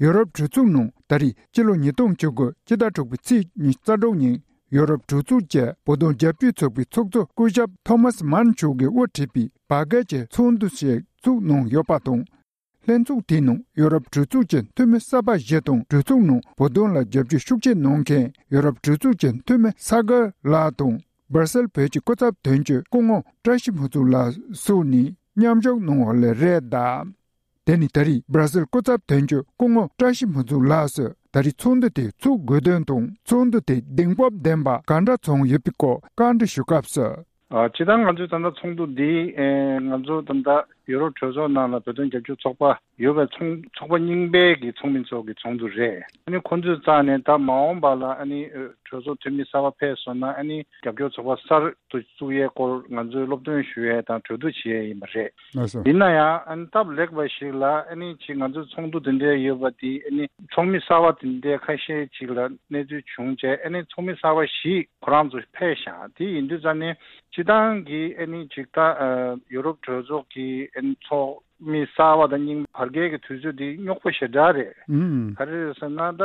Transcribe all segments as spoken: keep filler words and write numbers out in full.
ཡོ་རོབ་གྲོས་ཚོགས་ནང་ད་རེས་སྤྱི་ལོ་ཉིས་སྟོང་བཅུ་དགུ་སྤྱི་ཟླ་དྲུག་པའི་ཚེས་ཉི་ཤུ་རྩ་དྲུག་ཉིན་ཡོ་རོབ་གྲོས་ཚོགས་ཀྱི་བོད་དོན་རྒྱབ་སྐྱོར་ཚོགས་པའི་ཚོགས་གཙོ་སྐུ་ཞབས་ཐོ་མཱས་མཱན་མཆོག་གིས་དབུ་ཁྲིད་པའི་བར་བརྒལ་གྱི་ཚོགས་འདུ་ཞིག་ཚུགས་གནང་ཡོད་པ་དང་། ལྷན་ཚོགས་དེའི་ནང་ཡོ་རོབ་གྲོས་ཚོགས་ཀྱི་འཐུས་མི་གསར་པ་བཞི་དང་གྲོས་ཚོགས་ནང་བོད་དོན་ལ་རྒྱབ་སྐྱོར་ཤུགས་ཆེ་གནང་མཁན་ཡོ་རོབ་གྲོས་ཚོགས་ཀྱི་འཐུས་མི་ས་གར་ལགས་དང་། སྦར་སེལ་བོད་ཀྱི་སྐུ་ཚབ་དོན་གཅོད་སྐུ་ངོ་བཀྲ་ཤིས་ཕུན་ཚོགས་ལགས་སོགས་ནས་མཉམ་ཞུགས་གནང་བ་ལས་རེད་གདའ། དེ་ནི་ད་རེས་སྦར་སེལ་སྐུ་ཚབ་དོན་གཅོད་སྐུ་ངོ་བཀྲ་ཤིས་ཕུན་ཚོགས་ལགས་སུ་ད་རེས་ཚོགས་འདུ་དེ་ཚུགས་དགོས་དོན་དང་ཚོགས་འདུ་དེ་གདེང་སྤོབས་ལྡན་པ་ག་འདྲ་བྱུང་ཡོད་པའི་སྐོར་བཀའ་འདྲི་ཞུ་སྐབས་སུ། ཨ། སྤྱིར་བཏང་ང་ཚོའི་ད་ལྟ་ཚོགས་འདུ་འདི་ཨེ་ང་ཚོ་ད་ལྟ་ཡུ་རོབ་གྲོས་ཚོགས་ནང་ལ་བོད་དོན་རྒྱབ་སྐྱོར་ཚོགས་པ་ཡོད་པའི་ཚོགས་ཚོགས་པ་རྙིང་པའི་གི་ཚོགས་མི་ཚོ་གི་ཚོགས་འདུ་རེད། ཨ་ནི་ཁོང་ཚོའི་རྩ་ནས་ད་མ་འོངས་པ་ལ་ཨ་ནི་ཨ་གྲོས་ཚོགས་འཐུས་མི་གསར་པ་ཕེབས་སོང་ན་ཨ་ནི་རྒྱབ་སྐྱོར་ཚོགས་པ་གསར་དུ་བཙུགས་ཡས་སྐོར་ང་ཚོས་སློབ་སྟོན་ཞུ་ཡས་དང་གྲོས་བསྡུར་བྱེད་ཡས་ཡིན་པ་རེད། ལགས་སོ། ཡིན་ན་ཡང་ཨ་ནི་སྟབས་ལེགས་པ་ཞིག་ལ་ཨ་ནི་ཅིག་ང་ཚོའི་ཚོགས་འདུ་དེ་འདྲའི་ཡོད་པ་དེ་ཨ་ནི་ཚོགས་མི་གསར་པ་དེ་འདྲའི་ཁ་ཤས་ཅིག་ལ་གནས་ཚུལ་བྱུང་རྗེས་ཨ་ནི་ཚོགས་མི་གསར་པ་བཞི་ཁོ་རང་ཚོ་ཕེབས་ཤག་དེ་ཡིན་དུས་ཙང་ནས་སྤྱིར་བཏང་གི་ཨ་ནི་ཅིག་ད་ཨ་ཡོ་རོབ་གྲོས་ཚོགས་ཀྱི་ཨ་ནི་ཚོགས་མི་གསར་པ་དང་རྙིང་བར་བརྒལ་གྱི་དུས་ཚོད་འདི་རྙོག་པོ་ཞེ་དྲག་རེད། ཨུམ། ག་རེ་རེད་ཟེར་ན་ད་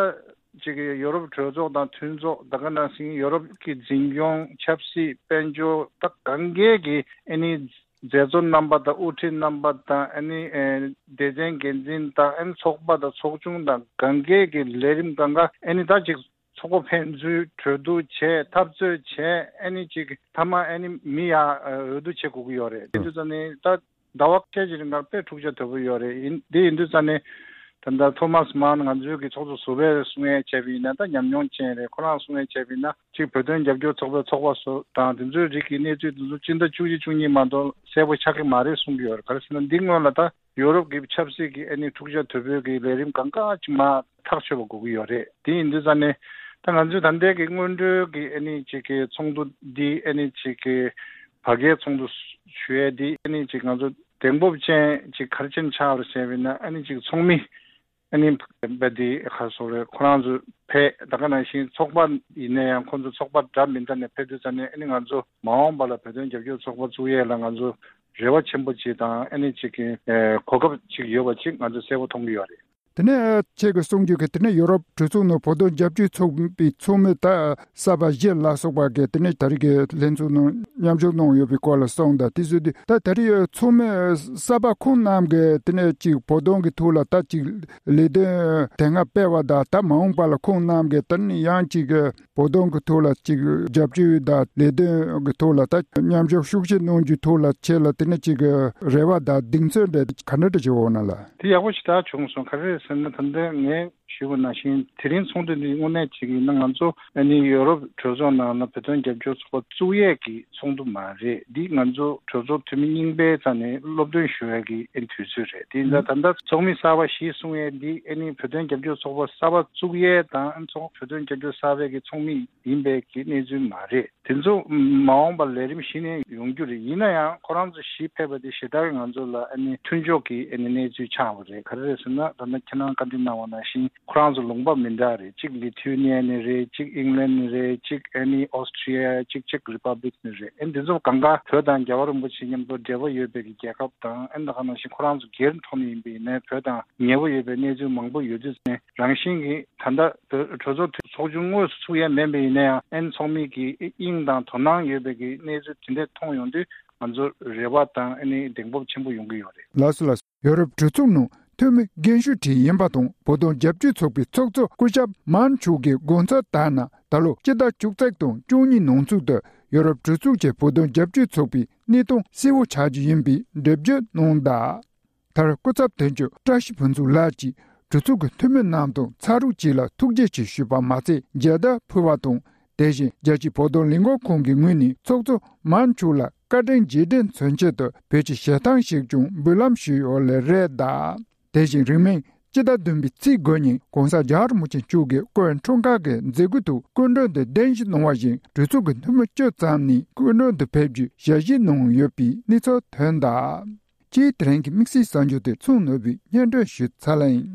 ཅིག་ཡོ་རོབ་གྲོས་ཚོགས་དང་མཐུན་ཚོགས་ད་ག་ནང་བཞིན་ཡོ་རོབ་ཀྱི་འཛིན་སྐྱོང་ཆབ་སྲིད་དཔལ་འབྱོར་ད་གང་གས་ཀྱི་ཨ་ནི་མཛད་གཙོ་རྣམ་པ་དང་དབུ་ཁྲིད་རྣམ་པ་དང་ཨ་ནི་ཨེ་སྡེ་ཚན་འགན་འཛིན་དང་ཨ་ནི་ཚོགས་པ་དང་ཚོགས་ཆུང་དང་གང་གས་ཀྱི་ལས་རིམ་གང་ག་ཨ་ནི་ད་ཅིག་ཚོགས་པ་ཕན་ཚུན་གྲོས་བསྡུར་བྱས་འཐབ་རྩོད་བྱས་ཨ་ནི་ཅིག་མཐའ་མ་ཨ་ནི་མི་ཡ་འོས་བསྡུ་བྱེད་དགོས་ཀྱི་ཡོད་རེད། དེ་དུས་ཙམ་ནས་ད་ཟླ་བ་ཁ་ཤས་ཀྱི་རིང་ལ་དཔེ་འཁྲུག་ཆ་དོད་པོ་ཡོད་རེད། ཡིན་དེ་ཡིན་དུས་ཙམ་ནས་ད་ལྟ་ཐོ་མཱས་མཱན་ང་ཚོའི་གི་ཚོགས་གཙོ་ཟུར་པས་གསུང་ཡས་བྱས་པ་ཡིན་ན་ད་ཉམས་མྱོང་ཅན་རེད། ཁོ་རང་གསུང་ཡས་བྱས་པ་ཡིན་ན་ཅིག་བོད་དོན་རྒྱབ་སྐྱོར་ཚོགས་པའི་ཚོགས་པ་སོགས་དང་དེ་ཚོའི་རིགས་ཀྱི་གནས་ཚུལ་དེ་ཚོ་སྤྱི་ཟླ་བཅུ་གཅིག་བཅུ་གཉིས་མ་གཏོགས་གསལ་པོ་ཆགས་ཀྱི་མ་རེད་གསུང་གི་ཡོད་རེད། ག་རེ་ཟེར་ན་འདི་སྔོན་ལ་ད་ཡོ་རོབ་ཀྱི་ཆབ་སྲིད་ཀྱི་ཨ་ནི་འཁྲུག་ཆ་དོད་པོའི་གི་ལས་རིམ་གང་ག་ཅིག་མར་ཐག་ཆོད་པ་དགོས་ཀྱི་ཡོད་རེད། དེ་ཡིན་དུས་ཙང་ནས་ད་ང་ཚོས་ད་ལྟའི་གི་སྔོན་འགྲོའི་གི་ཨ་ནི་ཅིག་གི་ཚོགས་འདུ་འདི་ཨ་ནི་ཅིག་གི་བར་བརྒལ་ཚོགས་འདུ་ཞུ་ཡས་འདི་ཨ་ནི་ཅིག་ང་ཚོ་གདེང་སྤོབས་ཅན་ཅིག་ག་རེ་བྱས་ནས་ཆགས་པ་རེད་ཟེར་བ་ཡིན་ན་ཨ་ནི་ཅིག་ཚོགས་མི་ཨ་ནི་བོད་འདི་ག་རེ་ཟེར་དགོས་རེད། ཁོ་རང་ཚོ་ཕེབས་ད་ག་ནང་བཞིན་ཚོགས་པ་ཡིན་ན་ཡང་ཁོ་ཚོ་ཚོགས་པ་འདྲ་མི་འདྲ་ནས་ཕེབས་དུས་ཙང་ནས་ཨ་ནི་ང་ཚོ་མ་འོངས་པ་ལ་བོད་དོན་རྒྱབ་སྐྱོར་ཚོགས་པ་བཙུགས་ཡས་ལ་ང་ཚོ་རེ་བ་ཆེན་པོ་ཅིག་དང་ཨ་ནི་ཅིག་གི་ཨེ་གོ་སྐབས་ཅིག་ཡོད་པ་ཅིག་ང་ཚོ་གསལ་པོ་མཐོང་གི་ཡོད་རེད། དེ་ནས་ཁྱེད་ཀྱིས་གསུང་རྒྱུ་གི་དེ་ནས་ཡོ་རོབ་གྲོས་ཚོགས་ནང་བོད་དོན་རྒྱབ་སྐྱོར་ཚོགས་པའི་ཚོགས་མི་ད་གསར་པ་བཞི་ལ་སོགས་པ་གི་དེ་ནས་ད་རེས་ཀྱི་ལྷན་ཚོགས་ནང་མཉམ་ཞུགས་གནང་ཡོད་པའི་སྐོར་ལ་གསུངས་དང་དེ་བཟོས་དུས་ད་ད་རེས་ཚོགས་མི་གསར་པ་ཁོང་རྣམས་ཀྱི་དེ་ནས་ཅིག་བོད་དོན་གྱི་ཐོག་ལ་ད་ཅིག་ལས་དོན་དེ་སྔ་སྤེལ་བ་དང་ད་མ་འོངས་པ་ལ་ཁོང་རྣམས་ཀྱི་ད་ནི་ཡང་ཅིག་བོད་དོན་གྱི་ཐོག་ལ་ཅིག་རྒྱབ་སྐྱོར་དང་ལས་དོན་གྱི་ཐོག་ལ་ད་མཉམ་ཞུགས་ཤུགས་ཆེ་གནང་རྒྱུའི་ཐོག་ལ་ཁྱེད་ལ་དེ་ནས་ཅིག་རེ་བ་དང་གདེང་ཚོད་འདྲ་ག་འདྲ་འདྲ་ཞིག་འོང་ན་ལ། དེ་ཡག་པོ་ཞེ་དྲག་བྱུང་སོང་། ག་རེ་རེད་ཟེར་ན་ད་ལྟ་ངས་ཞུས་པ་ནང་བཞིན་དེ་རིང་ཚོགས་འདུ་འདི་དངོས་གནས་བྱེད་ཀྱི་ཡིན་ན་ང་ཚོ་ཨ་ནི་ཡོ་རོབ་གྲོས་ཚོགས་ནང་ལ་བོད་དོན་རྒྱབ་སྐྱོར་ཚོགས་པ་བཙུགས་ཡས་ཀྱི་ཚོགས་འདུ་མ་རེད། འདི་ང་ཚོ་གྲོས་ཚོགས་འཐུས་མི་རྙིང་པའི་རྩ་ནས་སློབ་སྟོན་ཞུ་ཡས་ཀྱི་ཨ་ནི་དུས་ཚོད་རེད། དེ་ཡིན་ཙང་ད་ལྟ་ཚོགས་མི་གསར་པ་ཞིག་གསུང་ཡས་འདི་ཨ་ནི་བོད་དོན་རྒྱབ་སྐྱོར་ཚོགས་པ་གསར་པ་བཙུགས་ཡས་དང་ཨ་ནི་ཚོགས་བོད་དོན་རྒྱབ་སྐྱོར་གསར་པའི་གི་ཚོགས་མི་ཡིན་པའི་གི་གནས་ཚུལ་མ་རེད། དེ་ཚོ་མ་འོངས་པར་ལས་རིམ་གཞི་ནས་ཡོང་རྒྱུ་རེད། ཡིན་ན་ཡང་ཁོ་རང་ཚོ་གཞིས་ཕེབས་པ་དེ་ཞེ་དྲག་གི་ང་ཚོ་ལ་ཨ་ནི་མཐུན་ཕྱོགས་ཀྱི་ཨ་ནི་གནས་ཚུལ་ཆགས་པ་རེད། ག་རེ་རེད་ཟེར་ན་ད་ལྟ་ཁྱེད་རང་བཀའ་འདྲི་གནང་བ་ནང་བཞིན་ཁོ་རང་ཚོ་ལུང་པ་མི་འདྲ་རེད། གཅིག་ལི་ཐུ་ནི་ཡ་ནས་རེད། གཅིག་ཨིང་ལན་ནས་རེད། གཅིག་ཨ་ནི་ཨོ་སི་ཁྲི་ཡ། གཅིག་ཅེག་རི་པབ་ལིག་ནས་རེད། ཨ་ནི་དེ་ཚོ་གང་ག་བོད་དང་རྒྱལ་བ་རིན་པོ་ཆེ་མཉམ་དུ་འབྲེལ་བ་ཡོད་པའི་གི་རྒྱལ་ཁབ་དང་ཨ་ནི་ད་ག་ནང་བཞིན་ཁོ་རང་ཚོ་སྒེར་ཐོག་ནས་ཡིན་པ་ཡིན་ནའི་བོད་དང་ཉེ་པོ་ཡོད་པའི་གནས་ཚུལ་མང་པོ་ཡོད་དུས་ནས། རང་བཞིན་གྱིས་ད་ལྟ་བོད་གྲོས་ཚོགས་འཐུས་ཚོགས་ཆུང་དངོས་སུ་ཚུགས་ཡས་མིན་པ་ཡིན་ན་ཡང་ཨན་ཚོགས་མི་གི་དབྱིངས་དང་དོ་སྣང་ཡོད་པའི་གི་གནས་ཚུལ་དེ་འདྲ་མཐོང་ཡོང་དུས་ང་ཚོར་རེ་བ་དང་ཨ་ནི་གདེང་སྤོབས་ཆེན་པོ་ཡོང་གི་ཡོད་རེད། ལགས་སོ་ལགས་སོ། ཡོ་རོབ་གྲོས་ཚོགས་ནང་འཐུས་མི་རྒན་ཤོས་ཁྲིད་ཡིན་པ་དང་བོད་དོན་རྒྱབ་སྐྱོར་ཚོགས་པའི་ཚོགས་གཙོ་སྐུ་ཞབས་མཱན་མཆོག་གི་དགོངས་ཚུལ་ལྟར་ན་ད་ལོ་སྤྱི་ཟླ་བཅུ་གཅིག་དང་བཅུ་གཉིས་ནང་ཚུད་དུ་ཡོ་རོབ་གྲོས་ཚོགས་ཀྱི་བོད་དོན་རྒྱབ་སྐྱོར་ཚོགས་པའི་གནས་སྟངས་གསལ་བོ་ཆགས་རྒྱུ་ཡིན་པའི་འགྲེལ་བརྗོད་གནང་གདའ། མཐར་སྐུ་ཚབ་དོན་གཅོད་བཀྲ་ཤིས་ཕུན་ཚོགས་ལགས་ཀྱིས་གྲོས་ཚོགས་ཀྱི་འཐུས་མི་རྣམས་དང་ཕྱག་རོགས་བཅས་ལ་ཐུགས་རྗེ་ཆེ་ཞུས་པ་མ་ཚད་མཇལ་དར་ཕུལ་བ་དང་། དེ་བཞིན་རྒྱལ་སྤྱིའི་བོད་དོན་ལས་འགུལ་ཁང་གི་ངོས་ནས་ཚོགས་གཙོ་མཱན་མཆོག་ལ་བཀའ་དྲིན་རྗེས་དྲན་མཚོན་ཆེད་དུ་བོད་ཀྱི་ཞལ་ཐང་ཞིག་ཀྱང་འབུལ་ལམ་ཞུས་ཡོད་ལེ་རེད་གདའ། དེ་བཞིན་རིང་མིན་སྤྱི་ཟླ་བདུན་པའི་ཚེས་དགུ་ཉིན་༸གོང་ས་༸རྒྱལ་བ་རིན་པོ་ཆེ་མཆོག་གིས་སྐུའི་འཁྲུངས་སྐར་གྱི་མཛད་སྒོའི་ཐོག་སྐུ་མགྲོན་དུ་གདན་ཞུ་གནང་བ་བཞིན་གྲོས་ཚོགས་ཀྱི་འཐུས་མི་བཅུ་ཙམ་ནས་སྐུ་མགྲོན་དུ་ཕེབས་རྒྱུའི་ཞལ་བཞེས་གནང་ཡོད་པའི་གནས་ཚུལ་ཐོན་གདའ། སྤྱིར་དེ་རིང་གི་དམིགས་བསལ་གསར་འགྱུར་དེ་ཚོ་ནོར་བུས་སྙན་སྒྲོན་ཞུས་ཚར་ལ་ཡིན།